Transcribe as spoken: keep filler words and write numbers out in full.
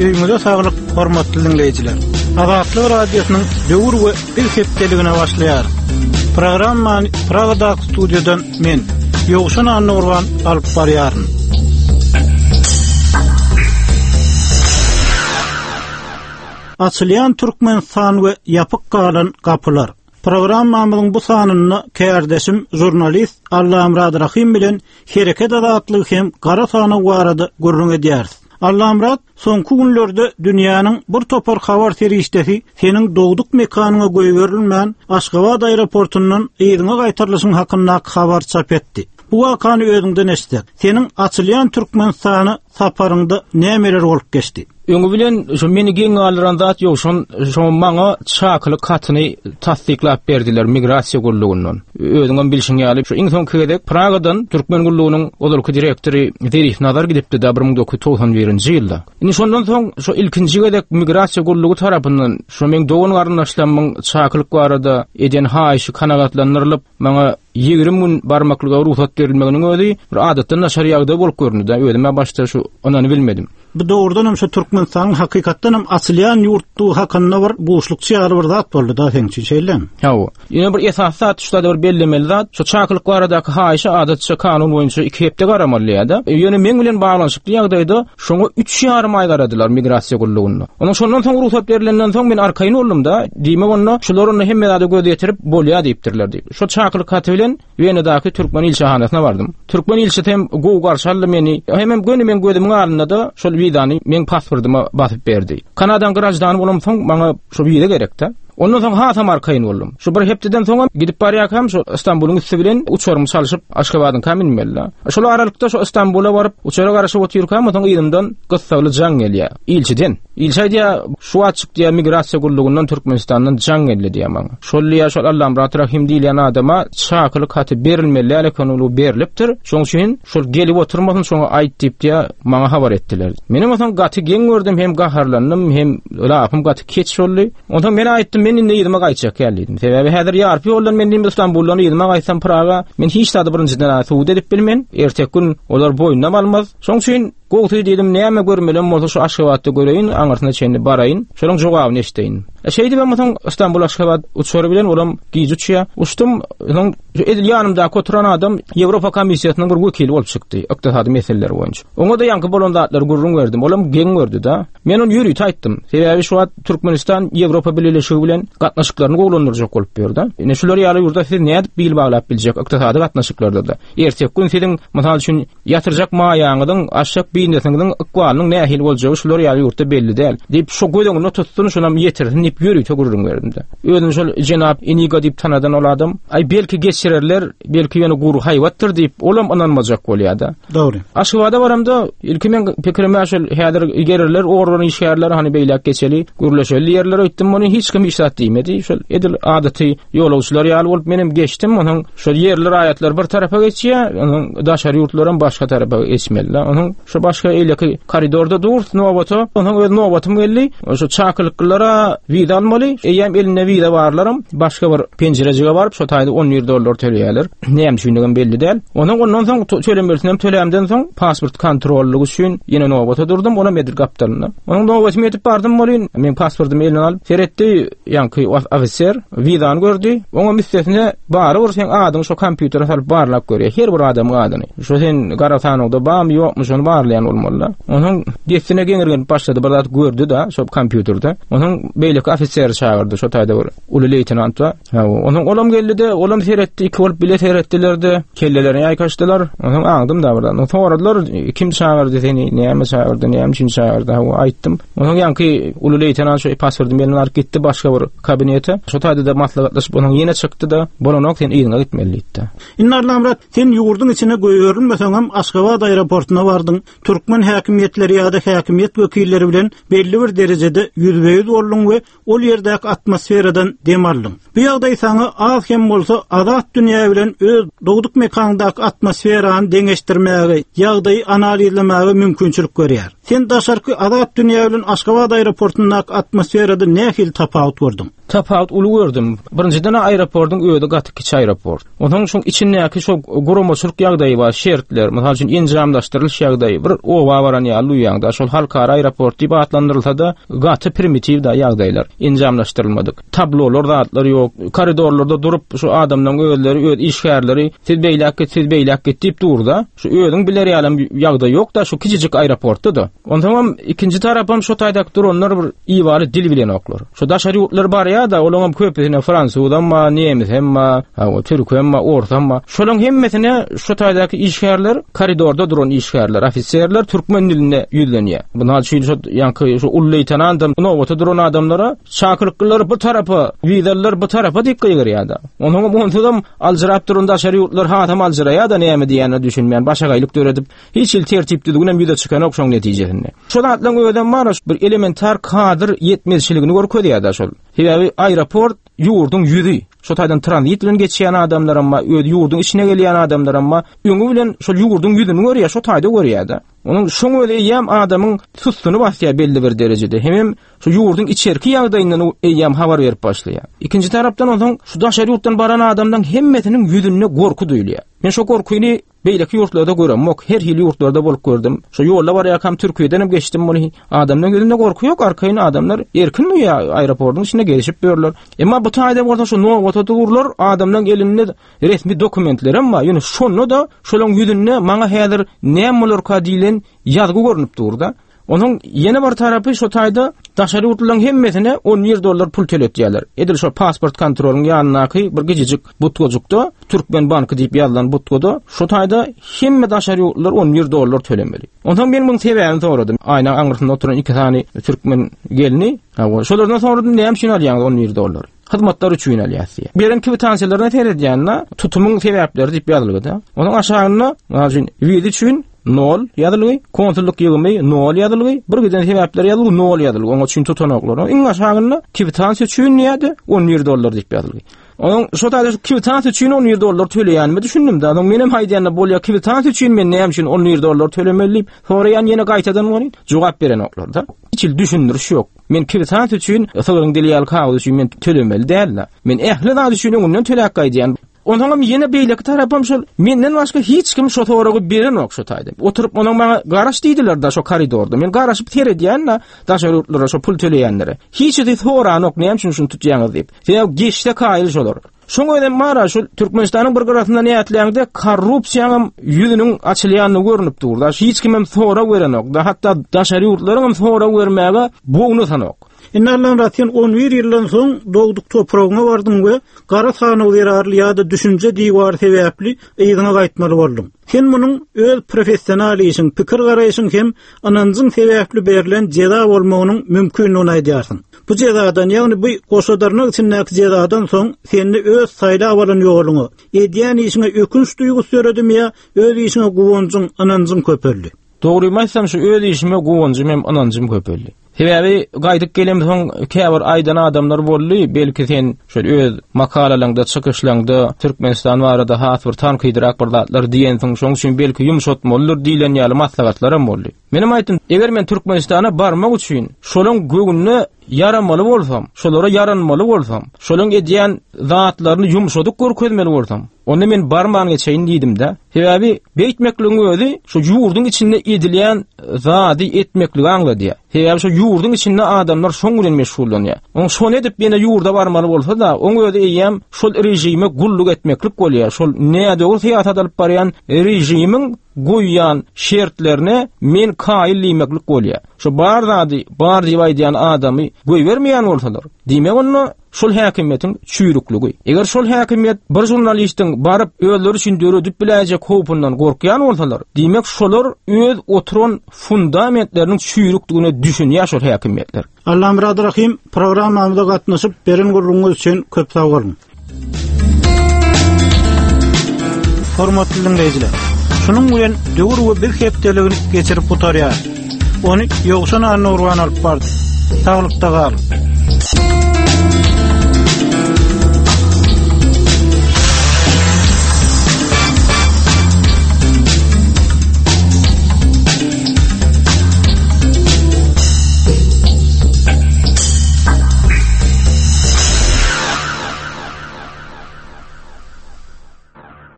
Öýüňize saglyk, hormatly dinleýjiler. Azatlyk Radiosynyň Döwür we Biz hepdeligine başlaýar. Programmany Pragadaky studiýadan men, Ýowşan Annagurban alyp barýaryn. Açylýan Türkmenistan we ýapyk galan gapylar. Programmamyzyň bu sanynda kärdeşim jurnalist Allamyrat Rahim bilen hereket azatlygy hem gara sanaw barada gürrüň edýäris. Allamyrat, soňky günlerde dünýäniň bir topar habar serişdesi seniň dogduk mekanyňa goýberilmän Aşgabat aeroportundan yzyňa gaýtarylyşyň hakyndaky habar çap etdi. Bu wakany özüňden eşitsek, seniň açylýan Türkmenistana saparyňda nämeler bolup geçdi? Öňi bilen şu meni geň galdyran zat ýok, şon şo maňa çakylyk hatyny tassyklap berdiler migrasiýa gullugyndan. Özüňem bilşiň ýaly, şu iň soňky gezek Pragadan Türkmen gullugynyň ozalky direktory Zerif Nazar gidipdi da bir müň dokuz ýüz togsan birinji ýylda. Indi şondan soň şu ilkinji gezek migrasiýa gullugy tarapyndan şu meň dogan garyndaşlarymyň çakylyk barada eden haýyşy kanagatlandyrylyp, maňa ýigrimi gün barmaklyga rugsat berilmeginiň özi bir adatdan daşary ýagdaý bolup göründi da. Özüm başda şu onany bilmedim. Bu dogrudan hem şu Türkmenistanyň hakykatdan hem açylýan ýurtdugy hakynda bir buşlukçy ýaly bir zat boldy da seň üçin, şeýlemi? Hawa. Ýene bir esas zat, şu da bir bellemeli zat, şu çakylyk baradaky haýyşa adatça kanun boýunça iki hepde garamaly ýa-da. Ýöne meň bilen baglanyşykly ýagdaýda şoňa üç ýarym aý garadylar migrasiýa gullugynda. Onuň şondan soň rugsat berilenden soň men arkaýyn boldum da, diýmek onda şular onda hemme zada göz ýetirip bolýar diýipdirler diýip. Şu çakylyk haty bilen Wenadaky Türkmen ilçihanasyna bardym. Türkmen ilçisi hem gowy garşy aldy meni. Hemem göni men gözümiň alnynda da şol wizany meň pasportyma basyp berdi. Kanadan graždan bolamsoň maňa şu wiza gerekdi. Ondan soň hasam arkaýyn boldum. Şu bir hepdeden soň gidip barýarkam şu Istanbulyň üsti bilen uçarymy çalşyp Aşgabadyň kam inmeli. Şol aralykda şu Istanbula baryp uçara garaşyp otyrkam soň yzymdan gyssagly jaň gelýär. Ilçiden. İlçi aýdýar, şu wagt çykdy ýa migrasiýa gullugyndan Türkmenistandan jaň geldi diýär maňa. Şol diýär, şol Allamyrat Rahim diýilýän adama çakylyk haty berilmeli däl eken, ol berilipdir. Şoň üçin şol gelip oturmasyn, şoňa aýt diýip diýär, maňa habar etdiler. Menem onsoň gaty geň gördüm, hem gaharlandym, hem lapym gaty keç boldy. Onsoň men aýtdym, men indi yzyma gaýtjak ýaly diýdim. Sebäbi häzir ýarpy ýoldan men indi Istanbuldan yzyma gaýtsam Praga, men hiç zady birinjiden suwut edip bilmen. Erteki gün olar boýnuna almaz. Şoň üçin gowsy diýdim, näme görmelem bolsa şu Aşgabatda göreýin, aňyrsyna çenli baraýyn, şonuň jogabyny eşdeýin. E, şeýdip hem soň Istanbul Aşgabat uçary bilen olam gije uçýar. Uçdum, soň edil ýanymdaky oturan adam Ýewropa komissiýasynyň bir wekili bolup çykdy, ykdysady meseleler boýunça. Oňa da ýaňky bolan zatlary gürrüň berdim. Olam geň gördi da. Men ony ýörite aýtdym. Sebäbi şu wagt Türkmenistan Ýewropa Bileleşigi bilen gatnaşyklaryny gowulandyrjak bolup ýör-de. Ine şular ýaly ýurda siz nädip bil baglap biljek ykdysady gatnaşyklarda da. Erteki gün siziň mysal üçin ýatyrjak maýaňyzyň, aşak biznesiňiziň ykbalynyň nähili boljagy şular ýaly ýurtda belli däl. Diýip şu göz öňünde tutsun, şonam ýetirsin diýip ýörite gürrüň berdim de. Özüni şol jenap Iniga diýip tanadan ol adam, aý belki geçirerler, belki ýöne gury haýbatdyr diýip, olam ynanmajak bolýar-da. Dogry. Aşgabada baramda ilki men pikirime şol häzir gererler, organ işgärler hani beýläk geçeli, gürleşeli ýerlere ötdüm, ony hiç kim hiç zat diýmedi. Şol edil adaty ýolagçylar ýaly bolup menem geçdim, onuň şol ýerli raýatlar bir tarapa geçýär, onuň daşary ýurtlaram başga tarapa geçmeli. Onuň şu başga eýleki koridorda dur, nobata, onuň öz nobatym geldi. Şu çakylyklara wiza almaly. Eýem elinde wiza barlaram başga bir penjirejige baryp şo taýda on bir dollar töleýärler. Näme üçindigem belli däl. Onuň ondan soň tölemelisinem tölämden soň pasport kontrollygy üçin ýene nobata durdum, onam edil gapdalynda. Onuň nobatymy ýetip bardym bolyn, men pasportymy eline alyp seretdi, ýaňky ofiser wizany gördi. Oňa müstesine bary bir sen adyňy şo kompýutere salyp barlap görýär, her bir adamyň adyny. Şo sen gara sanawda barmy ýokmy şony barlaýan bolmaly. Onuň dessine geňirgenip başlady, bir zat gördi da şo kompýuterde. Onuň beýleki ofiseri çagyrdy, şo taýda bir uly leýtenant bar. Ha, onuň olam geldi de, olam seretdi, iki bolup bile seretdiler de, kellelerini ýaýkaşdylar. Onuň aňdym da birden. Onuň soradylar, kim çagyrdy seni, näme çagyrdy, näme üçin çagyrdy? Ha, aýtdym. Onuň ýaňky uly leýtenant şo pasportymy eline alyp gitdi başga bir kabinete. Şo taýda da maslahatlaşyp, onuň ýene çykdy da, bolanok sen yzyňa gitmeli diýdi. Indi Allamyrat, sen ýurduň içine goýberilmeseň hem Aşgabat aeroportuna bardyň. Türkmen häkimiýetleri ýa-da häkimiýet wekilleri bilen belli bir derejede ýüzbe-ýüz bolduň we ol ýerdäki atmosferadan dem aldyň. Bu ýagdaý saňa az hem bolsa azat dünýä bilen öz dogduk mekandaky atmosferany deňeşdirmäge, ýagdaýy analizlemäge mümkinçilik berýär. Sen daşarky azat dünýä bilen Aşgabat aeroportundaky atmosferada nähili tapawut gördüň? Tapawut uly gördüm. Birinjiden aeroportuň özi gaty kiçi aeroport. Ondan soň içindäki şo guramaçylyk ýagdaýy bar, şertler, mysal üçin enjamlaşdyrylyş ýagdaýy bir oba baran ýaly duýýaňda, şol halkara aeroport diýip atlandyrylsa da gaty primitiv da ýagdaýlar, enjamlaşdyrylmadyk. Tablolar, zatlar ýok. Koridorlarda durup şu adamlaryň özleri, öz işgärleri siz beýläk git, siz beýläk git diýip durda. Şu özüň biler ýaly ýagdaý ýok da şu kiçijik aeroportda da. Ondan hem ikinji tarapam şu taýdak duranlar bir iwaly dil bilen oklar. Şu daşary ýurtlar bar ya da olaň hem köpüsine fransuz amma, nemes hem, ha, türk hem, ors hem. Şolaň hemmesine şu taýdaky işgärler, koridorda duran işgärler, ofiserler türkmen dilinde ýüzlenýär. Bunlar üçin şu ýanky şu uly leýtenantam nowata duran adamlara çakyryklar bu tarapa, wizalar bu tarapa diýip gygyrýar da. Onuň onsuzam aljyrap duran daşary ýurtlar hatam aljyraýar da näme diýenini düşünmeýän, başagaýlyk döredip, hiç hil tertip düzgünem ýüze çykanok şoň netijesinde. Şol atlaryň özem bar, bir elementar kadr ýetmezçiligini görkezýär da şol. Sebäbi aeroport ýurduň ýüzi. Şo taýdan tranzit bilen geçýän adamlar amma, öz ýurduň içine gelýän adamlar amma, öňi bilen şol ýurduň ýüzüni görýär, şo taýda görýär da. Onuň şoň özi eýýäm adamyň sustuny basýar belli bir derejede. Hemem şu ýurduň içerki ýagdaýyndan eýýäm habar berip başlaýar. Ikinji tarapdan onsoň şu daşary ýurtdan baran adamlaryň hemmesiniň ýüzünde gorky duýulýar. Men şo gorkyny beýleki ýurtlarda göremok, her hili ýurtlarda bolup gördüm. Şu ýolda barýarkam Türkiýeden hem geçdim muny. Adamlaryň ýüzünde gorky ýok, arkaýyn adamlar erkin duýýar, aeroportuň içinde gelişip ýörler. Emma bu taýda bolsa şu nowata durlar, adamlaryň elinde resmi dokumentler hem bar. Ýöne şonda da şolaryň ýüzünde maňa häzir näme bolarka diýlen ýazgy görünip durda. Onuň ýene bir tarapy şu taýda daşary ýurtlaryň hemmesine on bir dollar pul töletýärler. Edil şu pasport kontrolyň ýanyndaky bir gijijik butgajykda Türkmen banky diýip ýazylan butgada şu taýda hemme daşary ýurtlar on bir dollar tölemeli. Ondan men muň sebäbini soradym. Aýna aňyrsynda oturan iki sany türkmen gelni, ha, şolardan soradym, näme üçin alýaňyz on bir dollar? Hyzmatlar üçin alýas diýe. Beren kwitansiýalaryna seredýände tutumyň sebäpleri diýip ýazylgyda. Onuň aşagynda, mysal üçin, wiza üçin nol ýazylgy, konsullyk ýygymy nol ýazylgy, bir giden sebäpler ýazylgy nol ýazylgy. Onuň üçin tutanaklar. Iň aşagynda kwitansiýa üçin diýýärdi on bir dollar diýip ýazylgy. Onuň şo taýda kwitansiýa üçin on bir dollar töleýänimi düşündim da. Onuň menem haýdýanda bolýar kwitansiýa üçin men näme üçin on bir dollar tölemeli diýip soraýan ýene gaýtadan bolýan jogap berenoklar da. Hiç hili düşündiriş ýok. Men kwitansiýa üçin sygryň dili ýaly kagyz üçin men tölemeli däl-de. Men ähli zat üçin öňünden töläp gaýdýan. Ondan hem ýene beýleki tarapam şol menden başga hiç kim şo soragy berenok şo taýda. Oturyp onuň maňa garaş diýdiler da şo koridorda. Men garaşyp seredýän da daşary ýurtlara şo pul töleýänlere. Hiç hili soranok näme üçin şuny tutýaňyz diýip. Sebäbi geçse kaýyl şolar. Şoň özem bar şol Türkmenistanyň bir gyrasynda nätläňde korrupsiýanyň ýüzüniň açylýanyny görünip dur. Da hiç kim hem sorag berenok. Da hatda daşary ýurtlaryň hem sorag bermäge bogny sanok. Indi Allamyrat, sen on bir ýyldan soň dogduk topragyňa bardyň we gara sanaw zerarly ýa-da düşünje diwary sebäpli yzyňa gaýtmaly bolduň. Sen munuň öz professional işiň, pikir garaýşyň hem ynanjyň sebäpli berlen jeza bolmagynyň mümkinligini aýdýarsyň. Bu jezadan, ýagny bu goşadarnak içindäki jezadan soň seni öz saýlap alan ýoluňa, edýän işiňe ökünç duýgusy döredimi ýa öz işiňe guwanjyň, ynanjyň köpeldi? Dogrymy aýtsam, şu öz işime guwanjym hem ynanjym köpeldi. Sebäbi gaýdyp gelem soň käbir aýdan adamlar boldy, belki sen şol öz makalalaňda, çykyşlaňda Türkmenistan barada has bir tankydyrak bir zatlar diýensiň, şoň üçin belki ýumşatmalydyr diýlen ýaly maslahatlar hem boldy. Menem aýtdym, eger men Türkmenistana barmak üçin şolaň göwnüne ýaramaly bolsam, şolara ýaranmaly bolsam, şolaň edýän zatlaryny ýumşadyk görkezmeli bolsam, onda men barman geçeýin diýdim-de. Sebäbi beýtmekligiň özi şu ýurduň içinde edilýän zady etmekligi aňladýar. Sebäbi şu ýurduň içinde adamlar şoň bilen meşgullanýar. Oň şony edip ýene ýurda barmaly bolsa-da, oň özi eýýäm şol režime gulluk etmeklik bolýar. Şol nädogry syýasat alyp barýan režimiň goýýan şertlerine men kaýyl diýmeklik bolýar. Şu bar zady bar diýip aýdýan adamy goýbermeýän bolsalar, diýmek onda şol häkimiýetiň çüýrükligi. Eger şol häkimiýet bir žurnalistiň baryp özleri üçin döredip biläýjek howpundan gorkýan bolsalar, diýmek şolar öz oturan fundamentleriniň çüýrükdigine düşünýär şol häkimiýetler. Allamyrat Rahim, programmamyza gatnaşyp beren gürrüňiňiz üçin köp sag boluň. Hormatly dinleýjiler, şunuň bilen döwür we biz hepdeligini geçirip gutarýar. Ony Ýowşan Annagurban alyp bardy. Saglykda galyň.